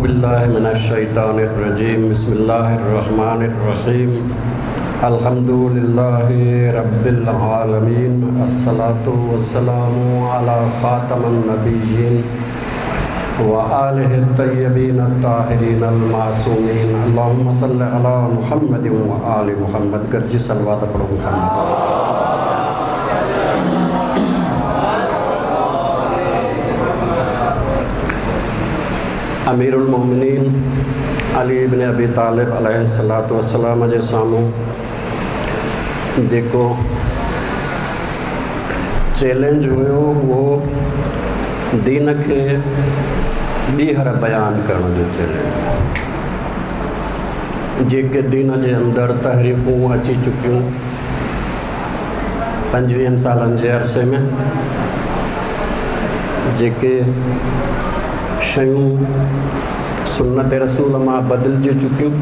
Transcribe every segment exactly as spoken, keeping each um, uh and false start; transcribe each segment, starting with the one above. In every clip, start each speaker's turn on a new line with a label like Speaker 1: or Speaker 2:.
Speaker 1: बिल्लाहि मिनश्शैतानिर्रजीम। बिस्मिल्लाहिर्रहमानिर्रहीम। अल्हम्दुलिल्लाहि रब्बिल आलमीन। अस्सलातु वस्सलामु अला ख़ातमन नबिय्यीन व आलिहि तय्यबीन अत्ताहिरीन अल-मासूमीन। अल्लाहुम्मा सल्लि अला मुहम्मद व आलि मुहम्मद। गर्जी सलवात पढ़ो मुहम्मद। अमीरुल मोमिनीन अली इब्न अबी तालिब अलैहिस्सलातु वस्सलाम जे साम्हूं जेको चैलेंज हुयो उहो दीन खे ॿीहर बयान करण जो चैलेंज। जेके दीन जे अंदरि तहरीफ़ूं अची चुकियूं पंजवीहनि सालनि जे अरसे में, जेके शयूं सुन्नत रसूल मां बदिलजी चुकियूं,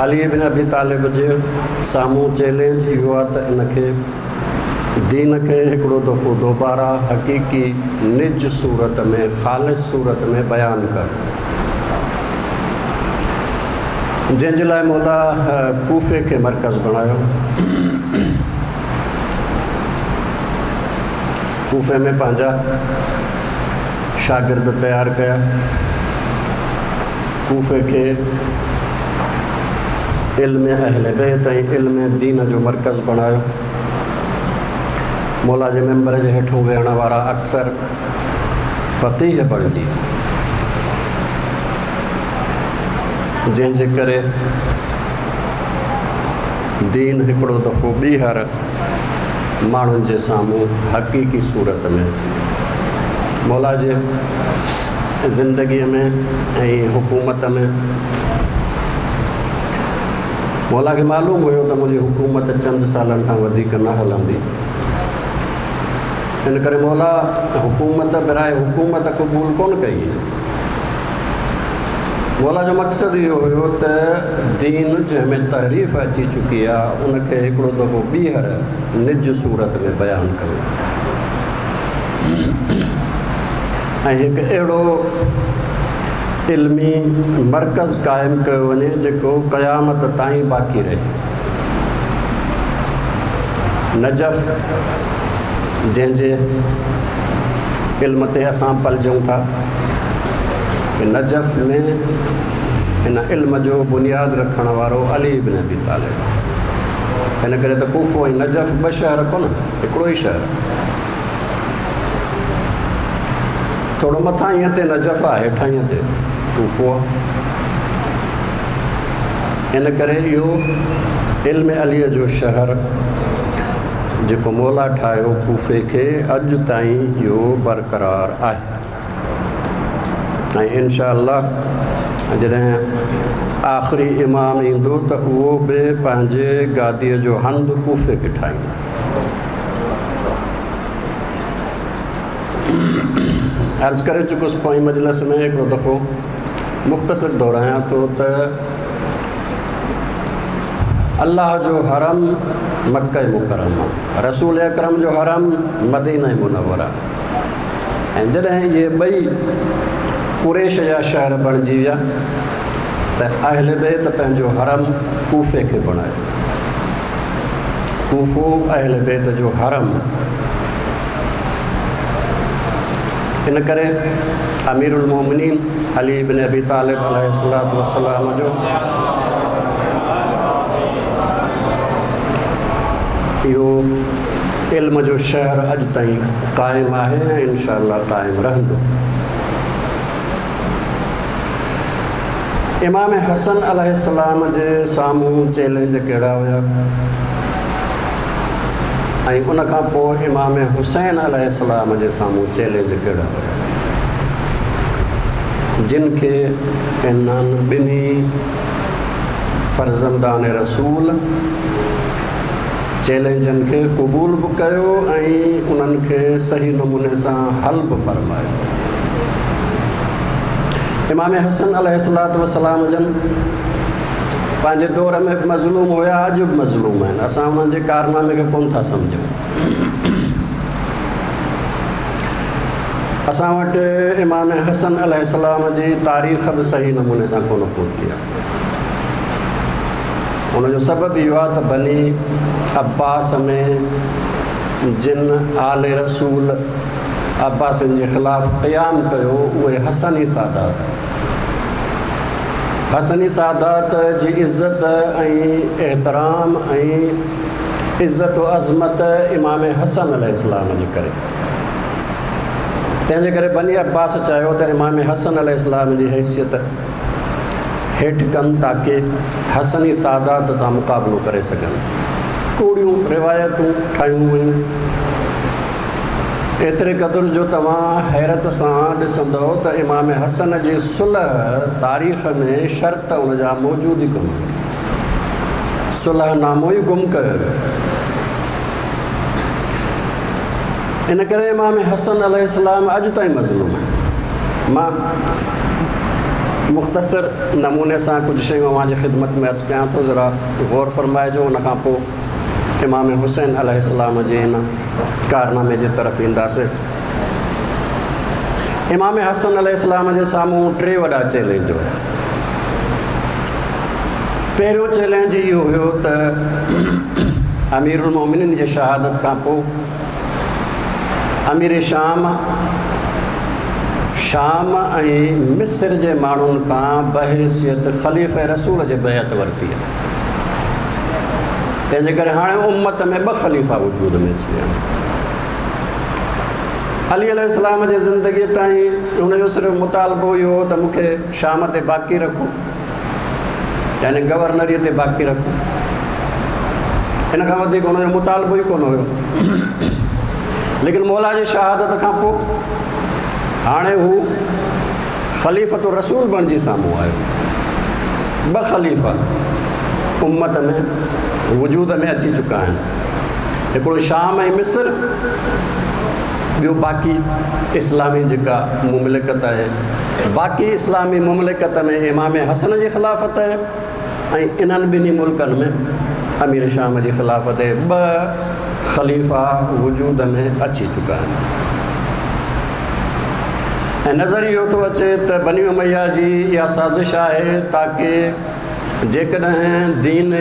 Speaker 1: अली बिन अबी तालिब जे साम्हूं चैलेंज इहो आहे त इनखे दीन खे हिकिड़ो दफ़ो दोबारा हक़ीक़ी निज सूरत में, ख़ालिस सूरत में बयान कर, जंहिंजे लाइ मौला कूफे खे मरकज़ बणायो। कूफे में पंहिंजा शागिर्द तयारु कया। कूफे खे इल्म अहले बैत ऐं इल्म दीन जो मरकज़ बणायो। मौला जे मेंबर जे हेठों वेहण वारा अक्सर फ़क़ीह बणिजी, जंहिंजे करे दीन हिकिड़ो दफ़ो ॿीहर माण्हुनि जे साम्हूं हक़ीक़ी सूरत में अची। मौला जे ज़िंदगीअ में ऐं हुकूमत में मौला खे मालूम हुयो त मुंहिंजी हुकूमत चंद सालनि खां वधीक न हलंदी। इन करे मौला हुकूमत बराए हुकूमत क़बूल कोन कई। मौला जो मक़सदु इहो हुयो त दीन जंहिंमें तहरीफ़ अची चुकी आहे उनखे हिकिड़ो दफ़ो ॿीहर निज सूरत में बयानु कयो ऐं हिकु अहिड़ो इल्मी मरकज़ क़ाइमु कयो वञे जेको क़यामत ताईं बाक़ी रहे। नजफ़ जंहिंजे इल्म ते असां पलजूं था, नजफ़ में इन इल्म जो बुनियाद रखण वारो अली इब्न अबी तालिब। इन करे त कूफो ऐं नजफ़ ॿ शहर कोन, हिकिड़ो ई शहर। थोरो मथां ते नजफ़ आहे, हेठां ते कूफो आहे। इन करे इहो इल्म अलीअ जो शहर जेको मौला ठाहियो कूफे खे, अॼु ताईं इहो बरक़रार आहे। ऐं इनशा अल्लाह जॾहिं आख़िरी इमाम ईंदो त उहो बि पंहिंजे गादीअ जो हंधु कूफे खे ठाहींदो। अर्ज़ करे चुकुसि पोईं मजलिस में हिकिड़ो दफ़ो मुख़्तसिर दोहरायां थो त अल्लाह जो हरम मक्का मुकरमा, रसूल अकरम जो हरम मदीना मुनव्वरा। ऐं जॾहिं इहे ॿई कुरैश जा शहर बणिजी विया त अहले बैत पंहिंजो हरम कूफे खे बणायो। कूफो अहले बैत जो हरम। इन करे अमीरुल मोमिनीन अली इब्न अबी तालिब अलैहिस्सलातु वस्सलाम जो इहो इल्म जो शहर अॼु ताईं क़ाइमु आहे ऐं इनशा अल्लाह क़ाइमु रहंदो। इमाम हसन अलैहिस्सलाम जे साम्हूं चैलेंज कहिड़ा हुया ऐं उन खां पोइ इमाम हुसैन अलैहिस्सलाम जे साम्हूं चैलेंज कहिड़ा हुया, जिन खे इन्हनि ॿिन्ही फर्ज़ंदान रसूल चैलेंजनि खे क़बूल बि कयो ऐं उन्हनि खे सही नमूने सां हल बि फरमायो। इमाम हसन अलैहिस्सलातु वस्सलाम जन पंहिंजे दौर में बि मज़लूम हुया, अॼु बि मज़लूम आहिनि। असां उन्हनि जे कारनामे खे कोन था सम्झूं। असां वटि इमाम हसन अलैहिस्सलाम जी तारीख़ बि सही नमूने सां कोन पहुती आहे। उनजो सबबु इहो आहे त बनी अब्बास में जिन आल रसूल अब्बासिन जे ख़िलाफ़ क़याम कयो उहे हसनी सादात, हसनी सादात जी इज़त ऐं एहतराम ऐं इज़त व अज़मत इमाम हसन अलैहिस्सलाम जे करे, तंहिंजे करे बनी अब्बास चाहियो त इमाम हसन अलैहिस्सलाम जी हैसियत हेठि कनि ताकी हसनी सादात सां मुक़ाबिलो करे सघनि। कूड़ियूं रिवायतूं ठाहियूं वयूं, एतिरे क़दुरु जो तव्हां हैरत सां ॾिसंदव त इमाम हसन जी सुलह तारीख़ में शर्त उनजा मौजूदु ई कोन्हे, सुलह नामो ई गुम कयो वियो। इन करे इमाम हसन अलैहिस्सलाम अॼु ताईं मज़लूम आहे। मां मुख़्तसर नमूने सां कुझु शयूं अव्हांजी ख़िदमत में अर्ज़ु कयां थो, ज़रा गौर फरमाइजो। उन खां पोइ इमाम हुसैन अलैहिस्सलाम जे हिन कारनामे जे तरफ़ ईंदासीं। इमाम हसन अलैहिस्सलाम जे साम्हूं टे वॾा चैलेंज हुया। पहिरियों चैलेंज इहो हुयो त अमीरुल मोमिनीन जे शहादत खां पोइ अमीर शाम शाम ऐं मिस्र जे माण्हुनि खां बहैसियत ख़लीफ़े रसूल जे बैअत वरिती आहे। तंहिंजे करे हाणे उम्मत में ॿ ख़लीफ़ा वजूद में अची विया। अली अलैहिस्सलाम जे ज़िंदगीअ ताईं हुनजो सिर्फ़ु मुतालबो इहो हो त मूंखे शाम ते बाक़ी रखो, यानी गवर्नरीअ ते बाक़ी रखो। इन खां वधीक हुनजो मुतालबो ई कोन हुयो। लेकिन मौला जी शहादत खां पोइ हाणे हू ख़लीफ़तो रसूल बणिजी साम्हूं आयो। ॿ ख़लीफ़ा उम्मत में वजूद में अची चुका आहिनि, हिकिड़ो शाम ऐं मिस्र, ॿियो बाक़ी इस्लामी जेका मुमलिकत आहे। बाक़ी इस्लामी मुमलिकत में इमाम हसन जी ख़िलाफ़त आहे ऐं इन्हनि ॿिन्ही मुल्कनि में अमीर शाम जी ख़िलाफ़त आहे। ॿ ख़लीफ़ा वजूद में अची चुका आहिनि। ऐं नज़र इहो थो अचे त बनी उमैया जी इहा साज़िश आहे ताकी जेकॾहिं दीन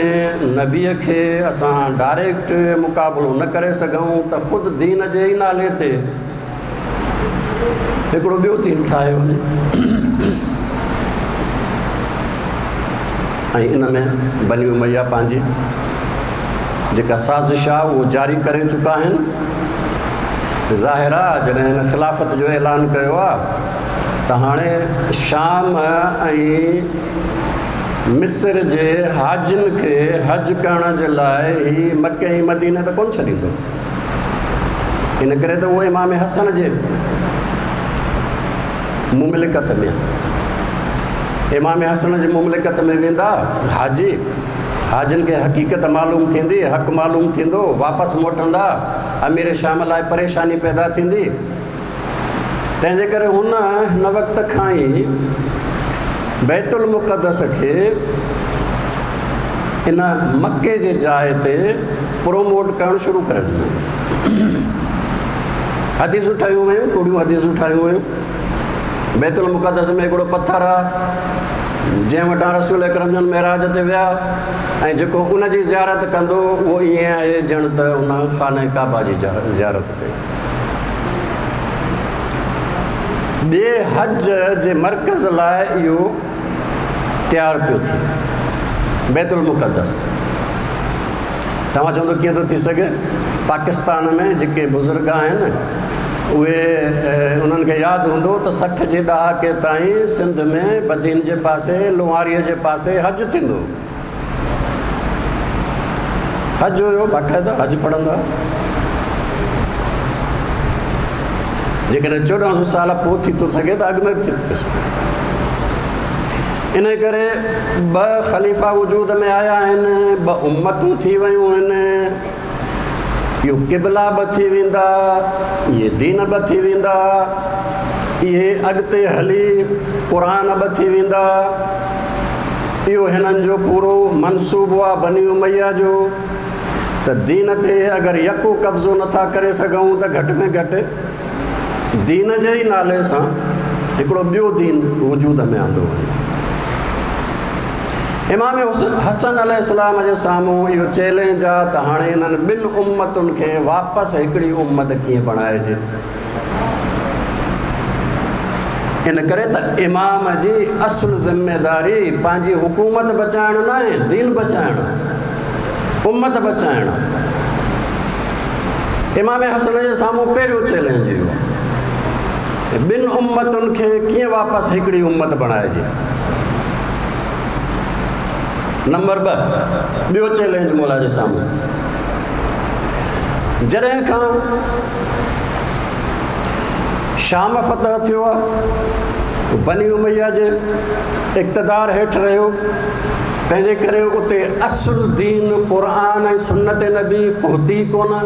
Speaker 1: नबीअ खे असां डायरेक्ट मुक़ाबिलो न करे सघूं त ख़ुदि दीन जे ई नाले ते हिकिड़ो ॿियो दीन ठाहियो वञे। ऐं इन में बनी उमैया पंहिंजी जेका साज़िश आहे उहो जारी करे चुका आहिनि। ज़ाहिर आहे जॾहिं हिन ख़िलाफ़त जो ऐलान कयो आहे त हाणे शाम ऐं मिस्र जे हाजिन खे हज करण जे लाइ ही मके ऐं मदीने त कोन छॾींदो। इन करे त उहो इमाम हसन जे मुमलिकत में, इमाम हसन जे मुमलिकत में वेंदा हाजी, हाजिन खे हक़ीक़त मालूम थींदी, हक़ मालूम थींदो, वापसि मोटंदा, अमीर शाम लाइ परेशानी पैदा थींदी। तंहिंजे करे हुन हिन वक़्त खां ई बैतुल मुक़द्दस खे इन मक्के जे जाइ ते प्रोमोट करणु शुरू करे ॾिनो। हदीसूं ठाहियूं वयूं, कूड़ियूं हदीसूं ठाहियूं वयूं। बैतुल मुक़द्दस में हिकिड़ो पथर आहे जंहिं वटां रसूल अकरम जन मेराज ते विया ऐं जेको उनजी ज़ियारत कंदो उहो ईअं आहे ॼण त उन ख़ाना काबा जी ज़ियारत कई। ॿिए हज जे मर्कज़ लाइ इहो तयारु पियो थिए बैतुल मुक़द्दस। तव्हां चवंदो कीअं थो थी सघे? पाकिस्तान में जेके बुज़ुर्ग आहिनि उहे उन्हनि खे यादि हूंदो त सठि जे ॾहाके ताईं सिंध में बदीन जे पासे लोहारीअ जे पासे हज थींदो, हज हुयो बाक़ाइदा हज पढ़ंदा। जेकॾहिं चोॾहं सौ साल पोइ थी थो सघे त अॻु में बि थी थो सघे। इन करे ॿ ख़लीफ़ा वजूद में आया आहिनि, ॿ उम्मतूं थी वयूं आहिनि, इहो क़िबला बि थी वेंदा, इहे दीन बि थी वेंदा, इहे अॻिते हली क़ुर बि थी वेंदा। इहो हिननि जो पूरो मनसूबो आहे बनी उमैया जो। त दीन ते अगरि यको कब्ज़ो नथा करे सघूं त घटि में घटि دين جي ئي نالي سان هڪڙو ٻيو دين وجود ۾ آندو وڃي. امام حسن عليه السلام جي سامهون اهو چئلينج آهي ته هاڻي انهن ٻن امتن کي واپس هڪڙي امت ڪيئن بڻائجي. ان ڪري ته امام جي اصل ذميداري پنهنجي حڪومت بچائڻ نه آهي، دين بچائڻ، امت بچائڻ. امام حسن جي سامهون پهريون چئلينج اهو آهي، ٻن امتن کي ڪيئن واپس هڪڙي امت بڻائجي. نمبر ٻه، ٻيو چئلينج مولا جي سامهون، جڏهن کان شام فتح ٿيو آهي، بني اميه جي اقتدار هيٺ رهيو، تنهنجي ڪري اتي اصل دين قرآن ۽ سنت نبي پهتي ڪونه.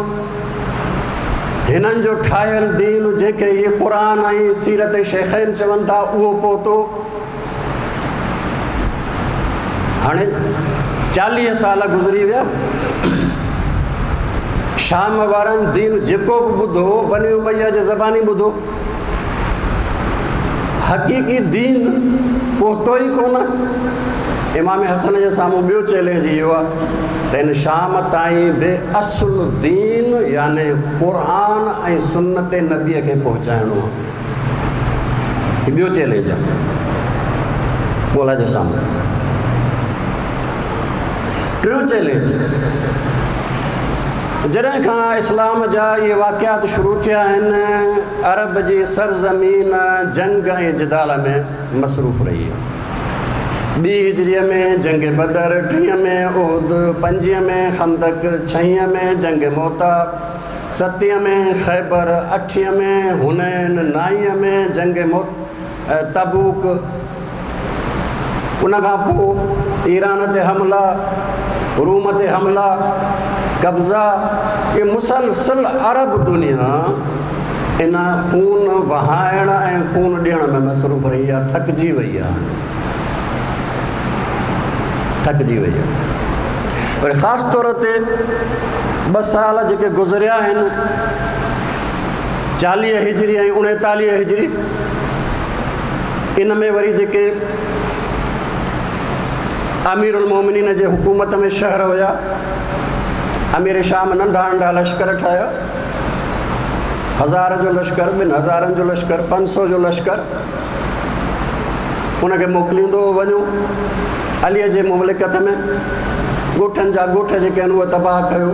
Speaker 1: هنن جو ٺاهيل دين جيڪي اهي قرآن ۽ سيرت شيخين چون ٿا اهو پهتو. هاڻي چاليهه سال گذري ويا، شام وارن دين جيڪو به ٻڌو بني اميه جي زباني ٻڌو، حقيقي دين پهتو ئي ڪونه. امام حسن جي سامهون ٻيو چئلينج اهو آهي ته هن شام تائين به اصل دين يعني قرآن ۽ سنت نبيءَ کي پهچائڻو آهي. ٻيو چئلينج آهي مولا جي سامهون. ٽيون چئلينج، جڏهن کان اسلام جا اهي واقعات شروع ٿيا آهن، عرب جي سرزمين جنگ ۽ جدال ۾ مصروف رهي آهي. ٻي هجريءَ ۾ جنگ بدر، ٽيهه ۾ احد، پنجويهه ۾ خندق، ڇهين ۾ جنگ موتا، ستين ۾ خيبر، اٺين ۾ حنين، نائين ۾ جنگ تبوڪ، ان کان پوءِ ايران تي حملا، روم تي حملا، قبضا. اهي مسلسل عرب دنيا ان خون وهائڻ ۽ خون ڏيڻ ۾ مصروف رهي آهي، ٿڪجي وئي آهي، ٿڪجي وئي آهي. پر خاص طور تي ٻه سال جيڪي گذريا آهن، چاليهه هجري ۽ اڻيتاليهه هجري، ان ۾ وري جيڪي امير المومنين جي حڪومت ۾ شهر هئا، امير شام ننڍا ننڍا لشڪر ٺاهيا، هزار جو لشڪر، ٻن هزارن جو لشڪر، پنج سؤ جو لشڪر، ان کي موڪليندو وڃو عليءَ جي مملڪت ۾. ڳوٺن جا ڳوٺ جيڪي آهن اهي تباهه ڪيو،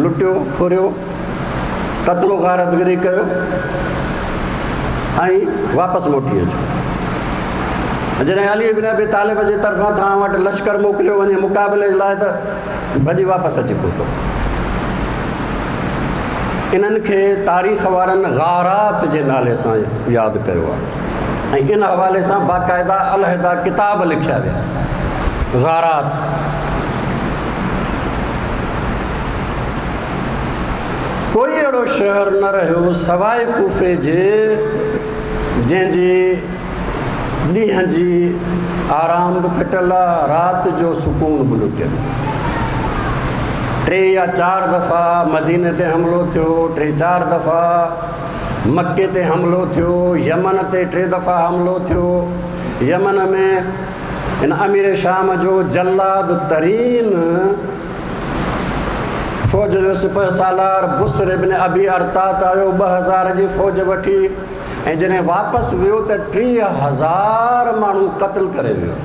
Speaker 1: لٽيو، ڦريو، قتل و غارتگري ڪيو ۽ واپس موٽي اچو. جڏهن علي بن ابي طالب جي طرفان توهان وٽ لشڪر موڪليو وڃي مقابلي جي لاءِ ته ڀڄي واپس اچي پهتو. انهن کي تاريخ وارن غارات جي نالي سان ياد ڪيو آهي ۽ ان حوالي سان باقاعده علحده ڪتاب لکيا ويا، غارات. ڪوئي اهڙو شهر نه رهيو سواءِ ڪوفي جي جنهن جي ڏينهن جي آرام به ڦٽل آهي، رات جو سڪون به لٽيل. ٽي يا چار دفعا مديني تي حملو ٿيو، ٽي چار دفعا مڪي تي حملو ٿيو، يمن تي ٽي دفعا حملو ٿيو. يمن ۾ هن امير شام جو جلاد ترين فوج جو سپهه سالار بسر ابن ابي ارتات آيو، ٻه هزار جي فوج وٺي، ۽ جڏهن واپس ويو ته ٽيهه هزار ماڻهو قتل ڪري ويو.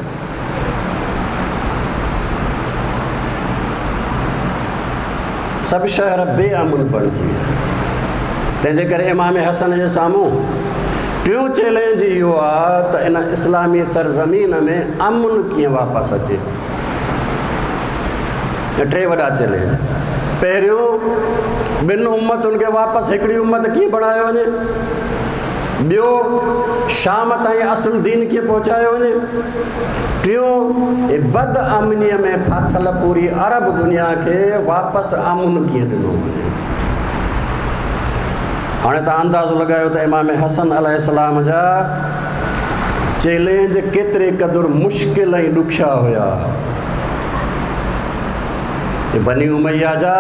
Speaker 1: سڀ شهر بي امن بڻجي ويا. تنهنجي ڪري امام حسن جي سامهون ٽيون چئلينج اهو آهي ته ان اسلامي سرزمين ۾ امن ڪيئن واپس اچي. ٽي وڏا چئلينج. پهريون، ٻن امتن کي واپس هڪڙي امت ڪيئن بڻايو وڃي. ٻيو، شام تائين اصل دين ڪيئن پهچايو وڃي. ٽيون، بد امنيءَ ۾ ڦاٿل پوري عرب دنيا کي واپس امن ڪيئن ڏنو وڃي. هاڻي توهان اندازو لڳايو ته امام حسن عليه السلام جا چئلينج ڪيتري قدر مشڪل ۽ ڏکيا هئا. بني اميه جا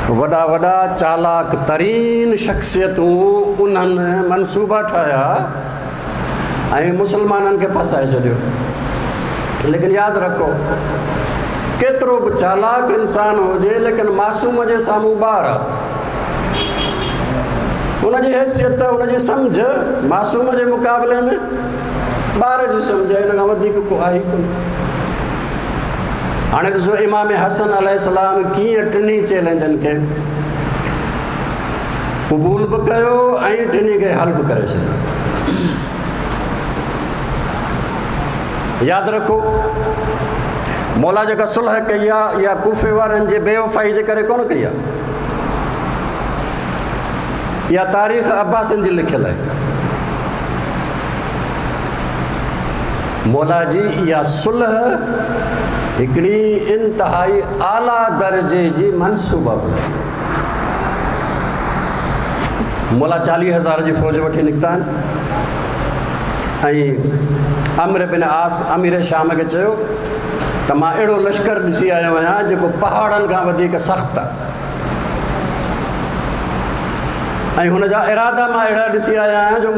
Speaker 1: वॾा वॾा चालाक तरीन शख़्सियतूं उन्हनि मनसूबा ठाहिया ऐं मुसलमाननि खे फसाए छॾियो। लेकिन यादि रखो, केतिरो बि चालाक इंसान हुजे, लेकिन मासूम जे साम्हूं ॿार आहे। उनजी हैसियत, उनजी सम्झ मासूम जे मुक़ाबले में ॿार जी सम्झ आहे, हिन खां वधीक को आहे ई कोन। हाणे ॾिसो इमाम हसन अलैहिस्सलाम कीअं टिन्ही चैलेंजनि खे क़बूल बि कयो ऐं टिन्ही खे हल बि करे छॾियो। यादि रखो, मौला जेका सुलह कई आहे इहा कूफे वारनि जे बेवफ़ाई जे करे कोन कई आहे, इहा तारीख़ अब्बासिन जी लिखियलु आहे। मौला जी इहा सुलह हिकिड़ी इंतिहाई आला दर्जे जी मनसूबा। मौला चालीह हज़ार जी फ़ौज वठी निकिता आहिनि ऐं अमर बिन आस अमीर शाम खे चयो त मां अहिड़ो लश्कर ॾिसी आयो आहियां जेको पहाड़नि खां वधीक सख़्तु आहे ऐं हुन जा इरादा मां अहिड़ा ॾिसी आया आहियां जो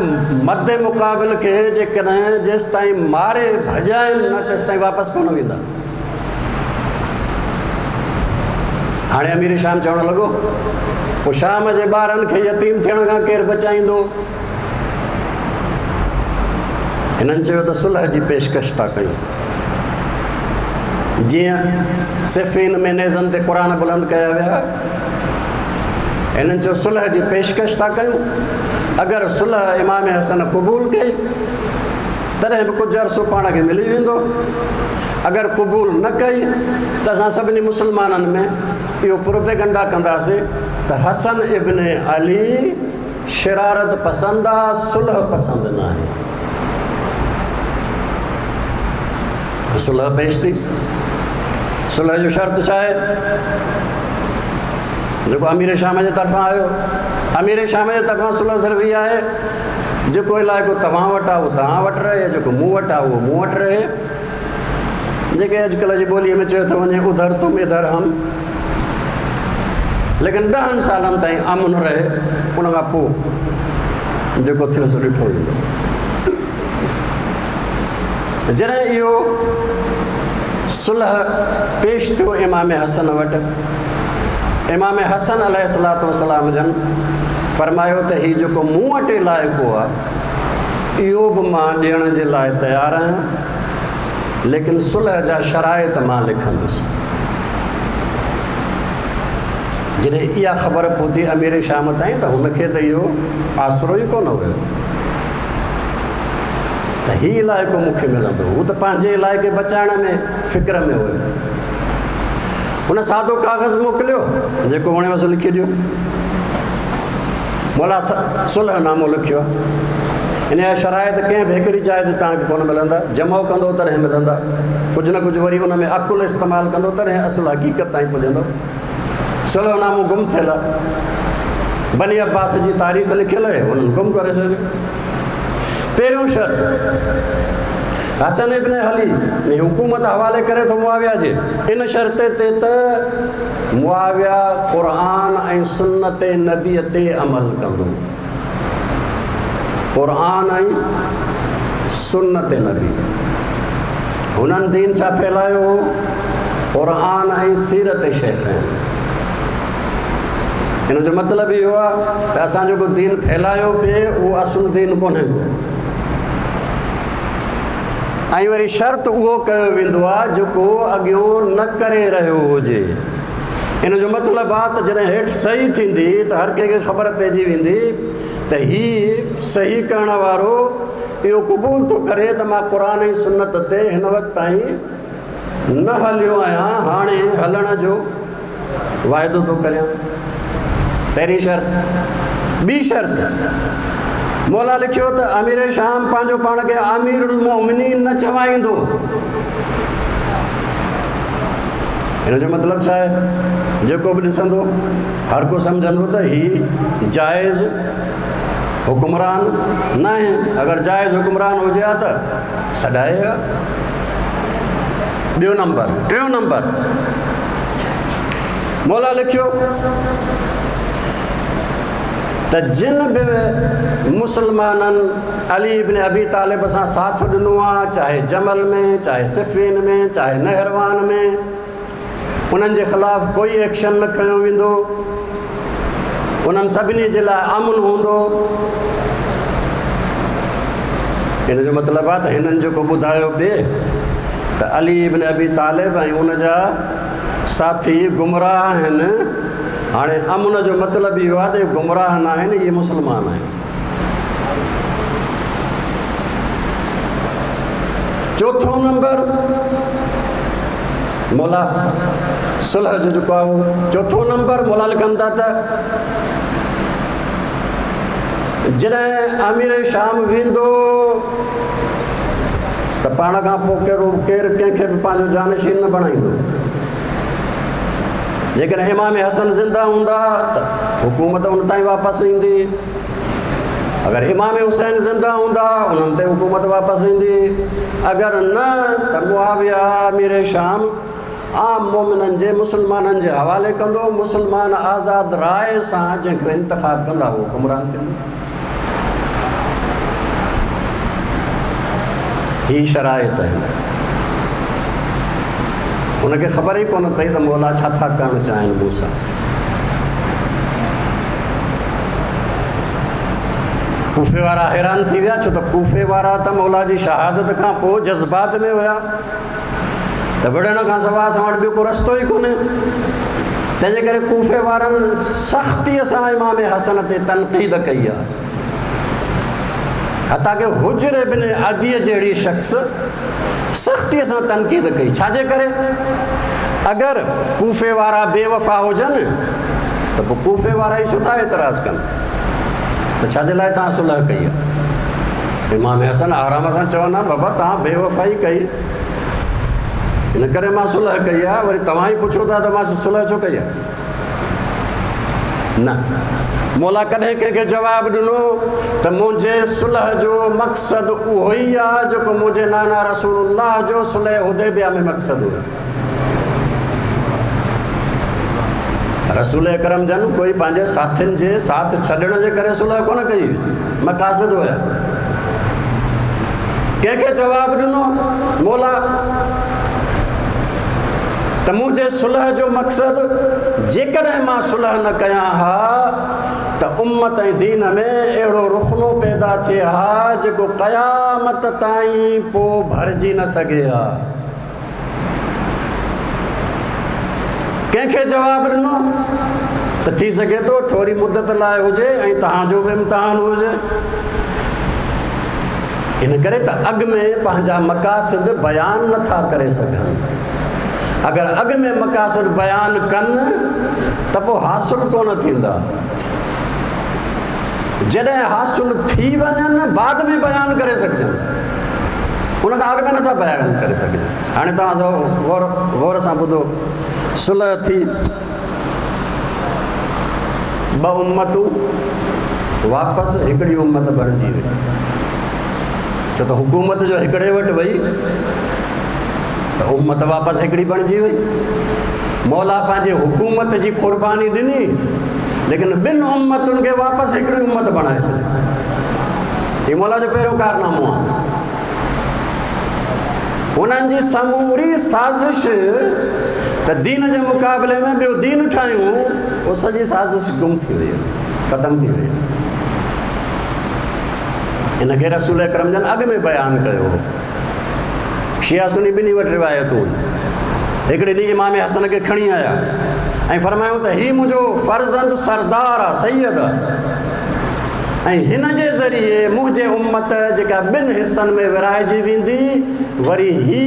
Speaker 1: मद मुक़ाबिल खे जेकॾहिं जेसि ताईं मारे भॼाइनि न तेसि ताईं वापसि कोन वेंदा। हाणे अमीर शाम चवणु लॻो, पोइ शाम जे ॿारनि खे यतीम थियण खां केरु बचाईंदो? हिननि चयो त सुलह जी पेशकश था कयूं। जीअं सिफ़ीन में नेज़नि ते क़ुर बुलंद कया विया, हिननि चयो सुलह जी पेशकश था कयूं। अगरि सुलह इमाम हसन क़बूल कई तॾहिं बि कुझु अरसो पाण खे मिली वेंदो, अगरि क़बूल न कई त असां सभिनी मुसलमाननि में इहो प्रोपेगंडा कंदासीं त हसन इब्न अली शरारत पसंदि आहे, सुलह पसंदि न आहे। सुलह पेश थी। सुलह जो शर्त छा आहे? जेको अमीर शाम जे तरफ़ां आयो, अमीर शाम जे तरफ़ां सुलह सिर्फ़ु इहा आहे, जेको इलाइक़ो तव्हां वटि आहे उहो तव्हां वटि रहे, जेको मूं वटि आहे उहो मूं वटि रहे। जेके अॼुकल्ह जी ॿोलीअ में चयो थो वञे उधर तुम इधर हम। लेकिन ॾहनि सालनि ताईं अमन रहे, उन खां पोइ जेको थियो सो ॾिठो वेंदो। जॾहिं इहो सुलह पेश थियो इमाम हसन वटि, इमाम हसन अलैहिस्सलातु वस्सलाम जन फरमायो त हीउ जेको मूं वटि इलाइक़ो आहे इहो बि मां ॾियण जे लाइ तयारु आहियां, लेकिन सुलह जा शराइत मां लिखंदुसि। जॾहिं इहा ख़बर पहुती अमीर शाम ताईं त हुनखे त इहो आसरो ई कोन हुयो त हीउ इलाइक़ो मूंखे मिलंदो। हू त पंहिंजे इलाइक़े बचाइण में फ़िक्र में हुयो। हुन सादो काग़ज़ मोकिलियो, जेको वणेवसि लिखी ॾियो। मौला सुलह नामो लिखियो आहे। इन जा शराइत कंहिं बि हिकिड़ी जाइ ते तव्हांखे कोन मिलंदा, जमो कंदो तॾहिं मिलंदा, कुझु न कुझु वरी उन में अकुलु इस्तेमालु कंदो तॾहिं असुलु हक़ीक़त ताईं पुॼंदो। सुलह नामो गुम थियल आहे, बनी अब्बास जी तारीख़ लिखियल आहे, हुननि गुम करे छॾियो। पहिरियों शर्त, हसन इब्न अली ने हुकूमत हवाले करे थो मुआविया जे, इन शर्त ते त मुआविया क़ुर ऐं सुन्नत नबीअ ते अमल कंदो। क़ुर ऐं सुन्नत नबी, हुननि दीन छा फैलायो हो? क़ुर ऐं सीरत शेख। हिन जो मतिलबु इहो आहे त असां जेको दीन फैलायो पिए उहो असुलु दीन कोन्हे को। ऐं वरी शर्त उहो कयो वेंदो आहे जेको अॻियों न करे रहियो हुजे। इन जो मतिलबु आहे त जॾहिं हेठि सही थींदी त हर कंहिंखे ख़बर पइजी वेंदी त हीउ सही करण वारो इहो क़बूल थो करे त मां क़ुर ऐं सुन्नत ते हिन वक़्त ताईं न हलियो आहियां, हाणे हलण जो वाइदो थो करियां। पहिरीं शर्त। ॿी शर्त, मौला लिखियो त अमीर शाम पंहिंजो पाण खे अमीरुल मोमिनीन न चवाईंदो। हिन जो मतिलबु छा आहे? जेको बि ॾिसंदो हर को सम्झंदो त हीउ जाइज़ हुकुमरान न आहे। अगरि जाइज़ हुकुमरान हुजे हा त सॾाए हा। ॿियो नंबर, टियों नंबर, मौला लिखियो त जिन बि मुसलमाननि अली इब्न अबी तालिब सां साथ ॾिनो आहे, चाहे जमल में, चाहे सिफीन में, चाहे नहरवान में, उन्हनि जे ख़िलाफ़ कोई एक्शन न खयो वेंदो, उन्हनि सभिनी जे लाइ अमन हूंदो। इन जो मतिलबु आहे त हिननि जेको ॿुधायो पिए त अली इब्न अबी तालिब ऐं उनजा साथी गुमराह आहिनि। हाणे अमन जो मतिलबु इहो आहे त गुमराह न आहिनि, इहे मुसलमान आहिनि। चोथों नंबर मौला सुलह जो जेको आहे उहो चोथों नंबर मौला लिखनि था त जॾहिं अमीर शाम वेंदो त पाण खां पोइ कहिड़ो केरु कंहिंखे बि पंहिंजो जानशीन न बणाईंदो। जेकॾहिं इमाम हसन ज़िंदा हूंदा त हुकूमत उन ताईं वापसि ईंदी, अगरि इमाम हुसैन ज़िंदा हूंदा उन्हनि ते हुकूमत वापसि ईंदी, अगरि न त मुआविया अमीर शाम आम मोमिननि जे मुसलमाननि जे हवाले कंदो, मुसलमान आज़ाद राय सां जंहिंखे इंतिखाब कंदा उहो हुकुमरान थींदो। ही शराइत आहिनि। हुनखे ख़बर ई कोन पई त मौला छा था करणु चाहिनि मूंसां। कूफे वारा हैरान थी विया, छो त कूफे वारा त मौला जी शहादत खां पोइ जज़्बात में हुया त विढ़ण खां सवाइ असां वटि ॿियो को रस्तो ई कोन्हे। तंहिंजे करे कूफे वारनि सख़्तीअ सां इमाम हसन ते तनक़ीद कई आहे। हता कि हुजर बिन अदीअ जहिड़ी शख़्स सख़्तीअ सां तनक़ीद कई। छाजे करे? अगरि कूफे वारा बेवफ़ा हुजनि त पोइ कूफे वारा ई छो था एतिराज़ कनि, त छाजे लाइ तव्हां सुलह कई आहे? इमाम हसन आराम सां चवंदा बाबा तव्हां बेवफ़ाई कई, इन करे मां सुलह कई आहे, वरी तव्हां ई पुछो था त मां सुलह छो कई आहे? न, मौला कॾहिं कंहिंखे जवाबु ॾिनो त मुंहिंजे सुलह जो मक़सदु उहो ई आहे जेको मुंहिंजे नाना रसूलुल्लाह जो सुलह हुदैबिया में मक़सदु हुयो। रसूल अकरम जन कोई पंहिंजे साथियुनि जे साथ छॾण जे करे सुलह कोन कई, मक़ासिद हुया। कंहिंखे जवाबु ॾिनो मौला त मुंहिंजे सुलह जो मक़सदु जेकॾहिं मां सुलह न कयां हा त उम्मत ऐं दीन में अहिड़ो रुखनो पैदा थिए हा जेको क़यामत ताईं पोइ भरिजी न सघे हा। कंहिंखे जवाबु ॾिनो त थी सघे थो थोरी मुदत लाइ हुजे ऐं तव्हांजो बि इम्तिहान हुजे। इन करे त अॻु में पंहिंजा मक़ासिद बयान नथा करे सघनि। अगरि अॻु में मक़ासिद बयान कनि त पोइ हासिल कोन थींदा, जॾहिं हासिल थी वञनि बाद में बयान करे सघजनि, उन खां अॻु में नथा बयान करे सघजनि। हाणे तव्हां गौर गौर सां ॿुधो, सुलह थी, ॿ उम्मतूं वापसि हिकिड़ी उम्मत बणिजी वई, छो त हुकूमत जो हिकिड़े वटि वई त उम्मत वापसि हिकिड़ी बणिजी वई। मौला पंहिंजे हुकूमत जी क़ुर्बानी ॾिनी, लेकिन ॿिनि उम्मतुनि खे वापसि हिकिड़ी उम्मत बणाए छॾी। हीउ मौला जो पहिरियों कारनामो आहे। हुननि जी समूरी साज़िश त दीन जे मुक़ाबले में ॿियो दीन ठाहियूं, उहो सॼी साज़िश गुम थी वई, ख़तमु थी वई। इनखे रसूल अकरम जन अॻु में बयानु कयो हो। शिया सुनी ॿिन्ही वटि रिवायतूं। हिकिड़े ॾींहुं इमाम हसन खे खणी आया ऐं फरमायूं त हीउ मुंहिंजो फर्ज़ंद सरदार आहे, सैयद आहे, ऐं हिन जे ज़रिए मुंहिंजे उम्मत जेका ॿिनि हिसनि में विराइजी वेंदी, वरी ही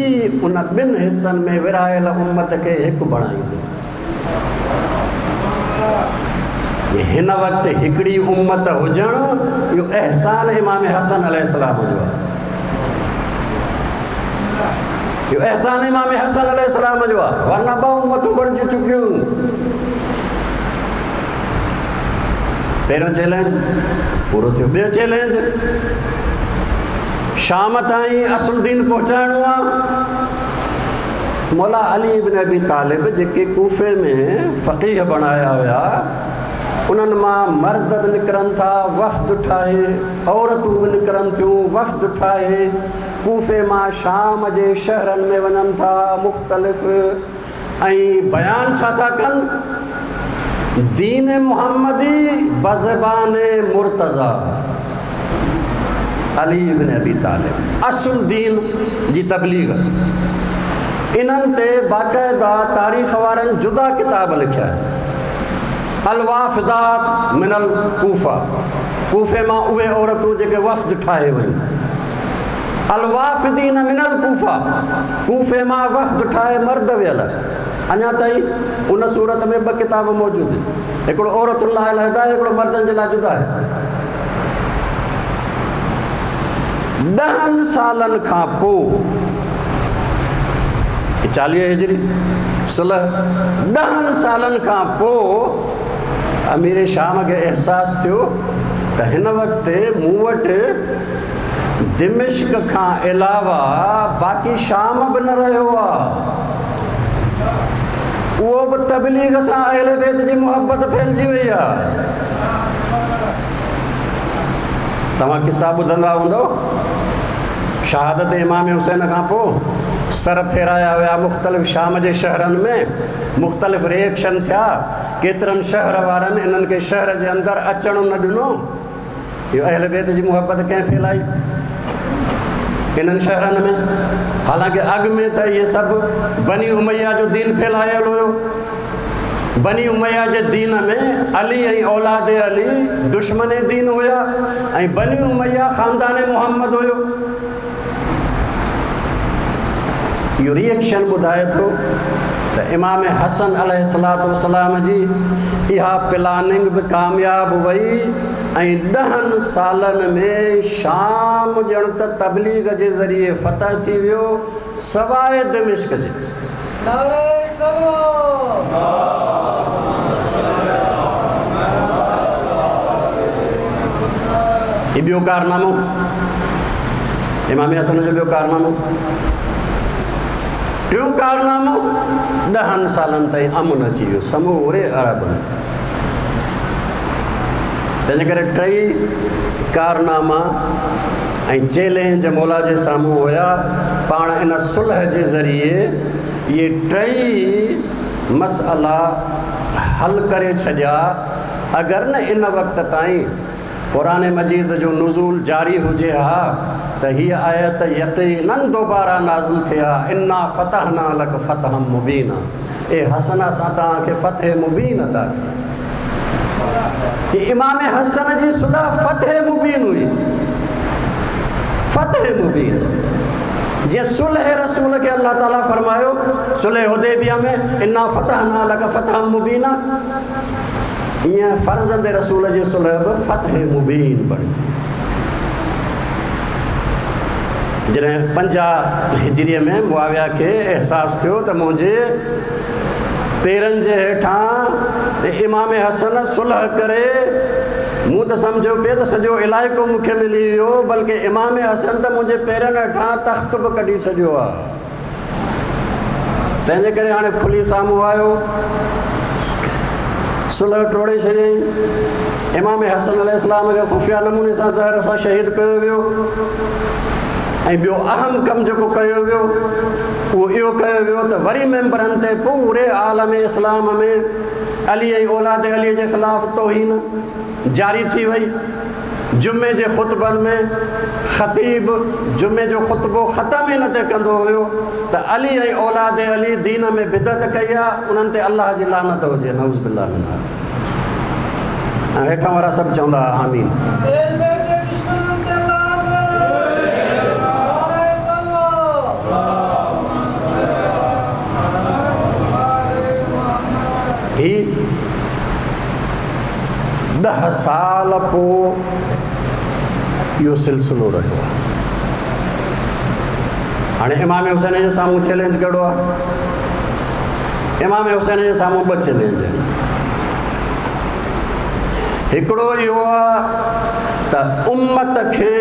Speaker 1: उन ॿिनि हिसनि में विरायल उम्मत खे हिकु बणाईंदो। हिन वक़्तु हिकिड़ी उम्मत हुजणु इहो अहसान इमाम हसन अलैहिस्सलाम जो आहे। इहो अहसान इमाम हसन अलैहिस्सलाम जो आहे, वरना ॿ उम्मतूं बणिजी चुकियूं। पहिरियों चैलेंज पूरो थियो, ॿियो चैलेंज शाम ताईं असुल दीन पहुचाइणो आहे। मौला अली इब्न अबी तालिब जेके कूफे में फ़क़ीह बणाया हुया, उन्हनि मां मर्द बि निकिरनि था वफ़्द ठाहे, औरतूं बि निकिरनि थियूं वफ़्द ठाहे, कूफे मां शाम जे शहरनि में वञनि था मुख़्तलिफ़, ऐं बयान छा था कनि? दीन मुहम्मदी बज़बान मुर्तज़ा अली इब्न अबी तालिब, असुल दीन जी तबलीग। इन्हनि ते बाक़ाइदा तारीख़ वारनि जुदा किताब लिखिया आहिनि। अलवाफ़िदात मिनल कूफा, कूफे मां उहे औरतूं जेके वफ़्द ठाहे वयूं। अलवाफ़िदीन मिनल कूफा, कूफे मां वफ़्द ठाहे मर्द वियल। अञा ताईं उन सूरत में ॿ किताब मौजूदु आहिनि, हिकिड़ो औरतुनि लाइ अलहिदु आहे, हिकिड़ो मर्दनि जे लाइ जुदा आहे। ॾहनि सालनि खां पोइ चालीह हिजरी सुलह, ॾहनि सालनि खां पोइ अमीर शाम खे अहसासु थियो त हिन वक़्तु मूं वटि दिमिश्क खां अलावा बाक़ी शाम बि न रहियो आहे। उहो बि तबलीग सां अहले बैत जी मुहबत फैलिजी वई आहे। तव्हां किस्सा ॿुधंदा हूंदव, शहादत इमाम हुसैन खां पोइ सर फेराया विया मुख़्तलिफ़ शाम जे शहरनि में, मुख़्तलिफ़ रिएक्शन थिया। केतिरनि शहर वारनि इन्हनि खे शहर जे अंदरि अचणु न ॾिनो। इहो अहले बैत जी मुहबत कंहिं फैलाई इन्हनि शहरनि में? हालांकि अॻु में त इहे सभु बनी उमैया जो दीन फैलायल हुयो। बनी उमैया जे दीन में अली ऐं औलाद अली दुश्मन दीन हुया, ऐं बनी उमैया ख़ानदान मोहम्मद हुयो। इहो रिएक्शन ॿुधाए थो त इमाम हसन अलैहिस्सलातु वस्सलाम जी इहा प्लानिंग बि कामयाबु वई, ऐं ॾहनि सालनि में शाम ॼण त तबलीग जे ज़रिए फतह थी वियो सवाइ दिमिश्क जे। हीउ ॿियो कारनामो इमाम हसन जो ॿियो कारनामो। टियों कारनामो, ॾहनि सालनि ताईं अमन अची वियो समूरे अरब में। तंहिंजे करे टई कारनामा ऐं चैलेंज मौला जे साम्हूं हुया। पाण इन सुलह जे ज़रिए इहे टई मसइला हल करे छॾिया। अगरि न इन वक़्त ताईं क़ुरान मजीद जो नुज़ूल जारी हुजे हा त हीअ आयत यकीनन दोबारा नाज़िल थिए हा, इन्ना फतहना लक फतहम मुबीना, ए हसन असां तव्हांखे फतह मुबीन अता कई। इमाम हसन जी सुलह फतह मुबीन हुई, फतह मुबीन। जीअं सुलह रसूल खे अल्लाह ताला फरमायो सुलह हुदैबिया में, इन्ना फतहना लक फतहम मुबीना, ईअं फर्ज़ंद रसूल जी सुलह बि फतह मुबीन बणिजी। जॾहिं पंजाह हिजरीअ में मुआविया खे अहसासु थियो त मुंहिंजे पेरनि जे हेठां इमाम हसन सुलह करे, मूं त सम्झो पिए त सॼो इलाइक़ो मूंखे मिली वियो, बल्कि इमाम हसन त मुंहिंजे पेरनि हेठां तख़्त बि कढी छॾियो आहे। तंहिंजे करे हाणे खुली साम्हूं आयो, सुलह टोड़े छॾियईं। इमाम हसन अलैहिस्सलाम खे ख़ुफ़िया नमूने सां ज़हर सां शहीद कयो वियो। ऐं ॿियो अहम कमु जेको कयो वियो उहो इहो कयो वियो त वरी मेंबरनि ते पूरे आलम इस्लाम में अली ऐं औलाद अली जे ख़िलाफ़ तौहीन जारी थी वई। जुमे जे ख़ुतबनि में ख़तीब जुमे जो ख़ुतबो ख़तमु ई न ते कंदो हुयो त अली ऐं औलाद अली दीन में बिदत कई आहे, उन्हनि ते अल्लाह जी लानत हुजे, नऊज़ बिल्लाह मिन। ऐं हेठां वारा सभु चवंदा आमीन। ही ॾह साल पोइ इहो सिलसिलो रहियो आहे। हाणे इमाम हुसैन जे साम्हूं चैलेंज कहिड़ो आहे? इमाम हुसैन जे साम्हूं ॿ चैलेंज आहिनि। हिकिड़ो इहो आहे त उम्मत खे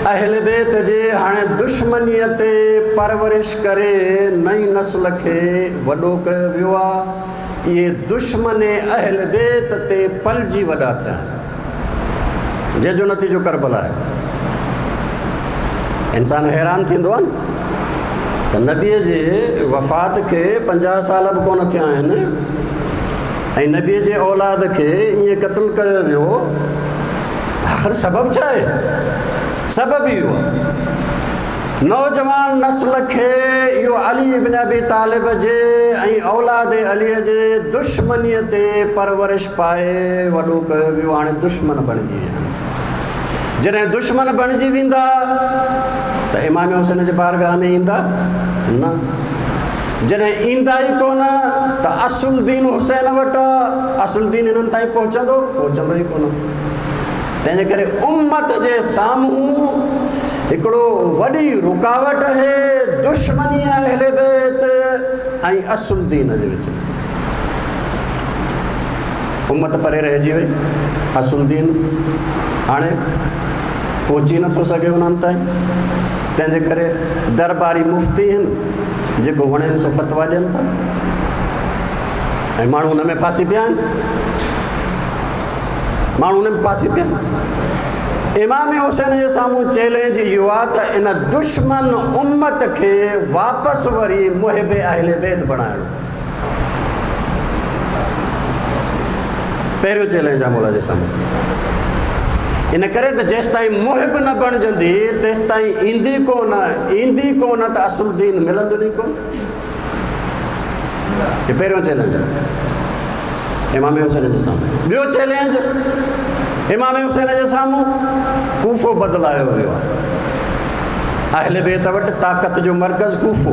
Speaker 1: अहल बैत जे हाणे दुश्मनीअ ते परवरिश करे नई नस्ल खे वॾो कयो वियो आहे। इहे दुश्मन अहल बैत ते पलजी वॾा थिया आहिनि, जंहिंजो नतीजो करबला आहे। इंसान हैरान थींदो आहे न त नबीअ जे वफ़ात खे पंजाह साल बि कोन थिया आहिनि ऐं नबीअ जे औलाद खे ईअं क़तलु कयो वियो। आख़िर सबबु छा आहे? सबबु इहो आहे, नौजवान नस्ल खे इहो अली इब्न अबी तालिब जे ऐं औलाद अलीअ जे दुश्मनीअ ते परवरिश पाए वॾो कयो वियो। हाणे दुश्मन बणिजी विया। जॾहिं दुश्मन बणिजी वेंदा त इमाम हुसैन जे बारगाह में ईंदा न, जॾहिं ईंदा ई कोन त असुल दीन हुसैन वटि, असुल दीन हिननि ताईं पहुचंदो पहुचंदो ई कोन। तंहिंजे करे उम्मत जे साम्हूं हिकिड़ो वॾी रुकावट आहे दुश्मनी अहले बैत ऐं असुल दीन जे विच में। उम्मत परे रहिजी वई, असुल दीन हाणे पहुची नथो सघे उन्हनि ताईं। तंहिंजे करे दरबारी मुफ्ती आहिनि जेको वणनि सो फतवा ॾियनि था ऐं माण्हू हुन में फांसी पिया आहिनि, माण्हू हुन में फांसी पिया आहिनि। इमाम हुसैन जे साम्हूं चैलेंज इहो आहे त इन दुश्मन उम्मत खे वापसि वरी मुहिब अहले बैत बणाइणो। पहिरियों चैलेंज आहे मौला जे साम्हूं। इन करे त जेसि ताईं मुहिब न बणिजंदी तेसि ताईं ईंदी कोन, ईंदी कोन त असुल दीन मिलंदो ई कोन। हे पहिरियों चैलेंज आहे इमाम हुसैन जे साम्हूं। ॿियो चैलेंज इमाम हुसैन जे साम्हूं कूफो बदिलायो वियो आहे। अहले बैत वटि ताक़त जो मर्कज़ कूफो,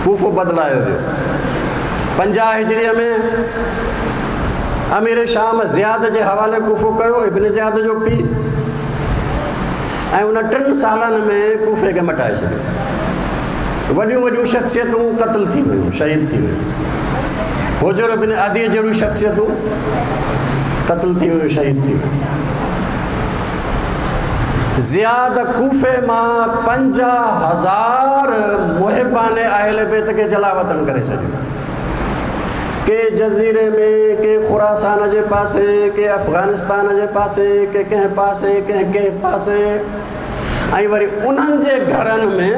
Speaker 1: कूफो बदिलायो वियो। पंजाह हिजरीअ में अमीर शाम ज़ियाद जे हवाले कूफो कयो, इब्न ज़ियाद जो पीउ, ऐं उन टिनि सालनि में कूफे खे मटाए छॾियो। वॾियूं वॾियूं शख़्सियतूं क़तल थी वियूं, शहीद थी वियूं। हुजुर बिन अदी जहिड़ियूं शख़्सियतूं क़तल थी वियूं, शहीद थी वियूं। ज़ियाद कूफे मां पंजाह हज़ार मुहिबान अहले बैत खे जलावतन करे छॾियो। के जज़ीरे में, के खुरासान जे पासे, के अफ़गानिस्तान जे पासे, के कंहिं पासे, कंहिं कंहिं पासे, ऐं वरी उन्हनि जे घरनि में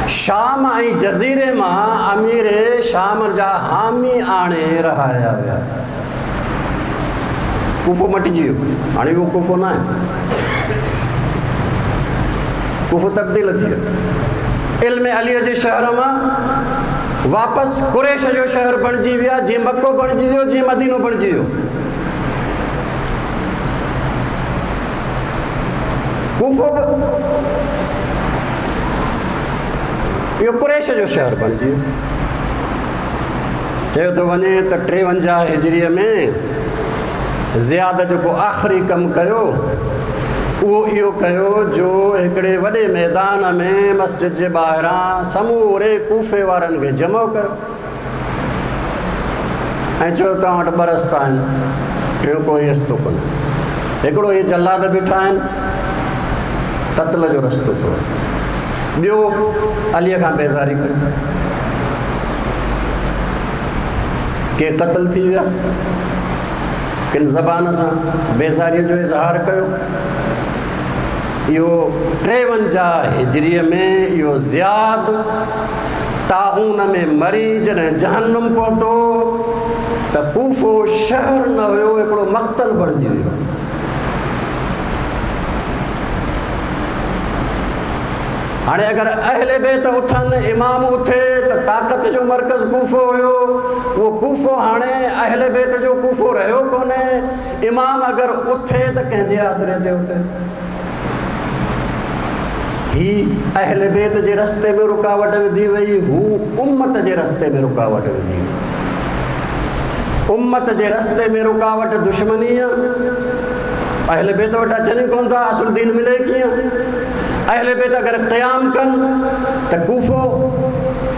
Speaker 1: शाम ऐं जज़ीरे मां अमीर शाम जा हामी आणे रहाया विया। कूफो मटिजी वियो, हाणे उहो कूफो न आहे, कूफो तब्दील थी वियो। इल्म अलीअ जे शहर मां वापसि कुरैश जो शहर बणिजी विया, जीअं मक्को बणिजी वियो, जीअं मदीनो बणिजी वियो। कूफो बि इहो कुरैश जो शहर बणिजी वियो। चयो थो वञे त टेवंजाह हिजरीअ में ज़ियाद जेको आख़िरी कमु कयो उहो इहो कयो जो हिकिड़े वॾे मैदान में मस्जिद जे ॿाहिरां समूरे कूफे वारनि खे जमो कयो ऐं चयो तव्हां वटि ॿ रस्ता आहिनि, टियों कोई रस्तो कोन्हे। हिकिड़ो इहे जल्लाद बीठा आहिनि, क़तल जो रस्तो अथव, ॿियो अलीअ खां बेज़ारी कयो, के क़तल थी विया, किन ज़बान सां बेज़ारीअ जो इज़हार कयो। इहो टेवंजाह हिजरीअ में इहो ज़ियाद ताऊन में मरी जॾहिं जहन्नुम पहुतो त कूफो शहर न हुयो, हिकिड़ो मक़तल बणिजी वियो। हाणे अगरि अहले बैत उथनि, इमाम उथे त ताक़त जो मर्कज़ कूफो हुयो, उहो कूफो हाणे अहले बैत जो कूफो रहियो कोन्हे। इमाम अगरि उथे त कंहिंजे आसरे ते उथे? ही अहले बैत जे रस्ते में रुकावट विधी वई, हू उम्मत जे रस्ते में रुकावट विधी वई। उम्मत जे रस्ते में रुकावट दुश्मनी आहे। अहले बैत वटि अचनि ई कोन था, असुल दीन मिले कीअं? अहले बैत अगरि क़याम कनि त कूफो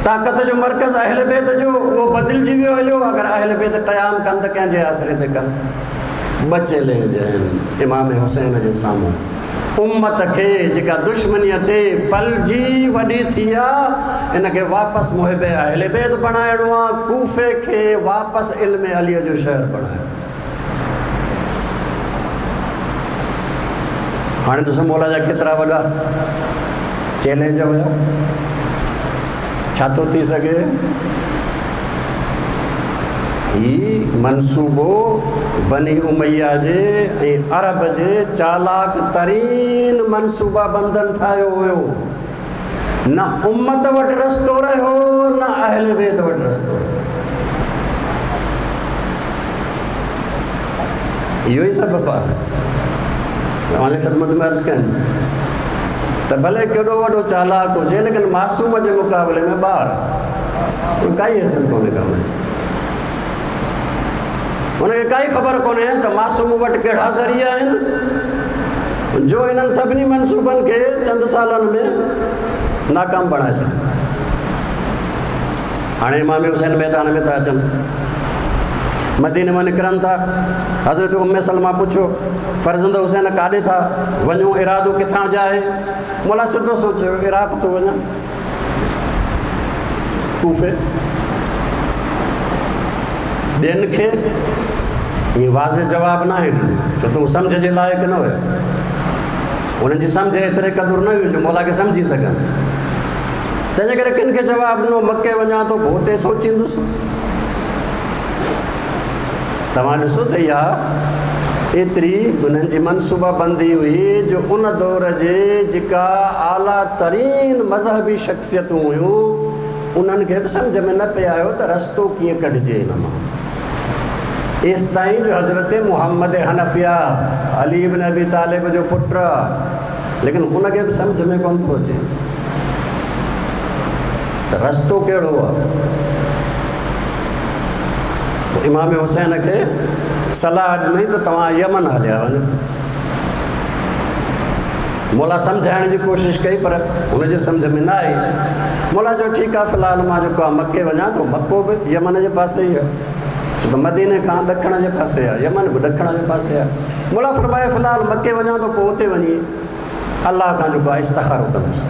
Speaker 1: ताक़त जो मर्कज़ अहले बैत जो उहो बदिलजी वियो हलियो। अगरि अहले बैत क़याम कनि त कंहिंजे आसरे ते कनि? ॿ चैलेंज आहिनि इमाम हुसैन जे साम्हूं। उम्मत खे जेका दुश्मनीअ ते पलजी वॾी थी आहे इन खे वापसि मुहिब अहले बैत बणाइणो आहे। कूफे खे वापसि इल्म अलीअ जो शहर बणाइणो। हाणे ॾिसो मौला जा केतिरा वॾा चैलेंज हुया। छा थो थी सघे? ही मनसूबो बनी उमैया जे ऐं अरब जे चालाक तरीन मनसूबा बंदन ठाहियो हुयो। न उम्मत वटि रस्तो रहियो न अहले बैत वटि रस्तो रहियो। इहो ई सबबु आहे तव्हांजी ख़िदमत में अर्ज़ु कनि त भले केॾो वॾो चालाक हुजे लेकिन मासूम जे मुक़ाबले में ॿार काई हैसियत कोन्हे का हुनखे काई ख़बर कोन्हे त मासूम वटि कहिड़ा ज़रिया आहिनि जो इन्हनि सभिनी मनसूबनि खे चंद सालनि में नाकाम बणाए छॾे। हाणे इमाम हुसैन मैदान में था अचनि, मदीने मां निकिरनि था। हज़रत उम्मे सलमा पुछियो फर्ज़ंद हुसैन काॾे था वञूं, इरादो किथां जो आहे? मौला सिधो सोचियो इराक़ थो वञा, कूफे। ॿियनि खे ईअं वाज़े जवाबु न आहे ॾिनो छो त हू सम्झ जे लाइक़ न हुया। उन्हनि जी सम्झ एतिरे क़दुरु न हुई जो मौला खे सम्झी सघनि। तंहिंजे करे किन खे जवाबु ॾिनो मके वञा थो पोइ हुते सोचींदुसि। तव्हां ॾिसो त इहा एतिरी हुननि जी मनसूबा बंदी हुई जो उन दौर जे जेका आला तरीन मज़हबी शख़्सियतूं हुयूं उन्हनि खे बि सम्झ में न पियो आयो त रस्तो कीअं कढिजे हिन मां। एसि ताईं जो हज़रत मोहम्मद हनफिया अली इब्न अबी तालिब जो पुटु, लेकिन हुनखे बि सम्झ में कोन थो अचे त रस्तो कहिड़ो आहे। इमाम हुसैन खे सलाह ॾिनई त तव्हां यमन हलिया वञो। मौला सम्झाइण जी कोशिशि कई पर हुनजे सम्झ में न आई। मौला चयो ठीकु आहे फ़िलहालु मां जेको आहे मके वञा थो, मको बि यमन जे पासे ई आहे, छो त मदीने खां ॾखण जे पासे आहे, यमन बि ॾखण जे पासे आहे। मौला फरमायो फ़िलहालु मके वञा थो पोइ उते वञी अलाह खां जेको आहे इस्तिखारो कंदुसि।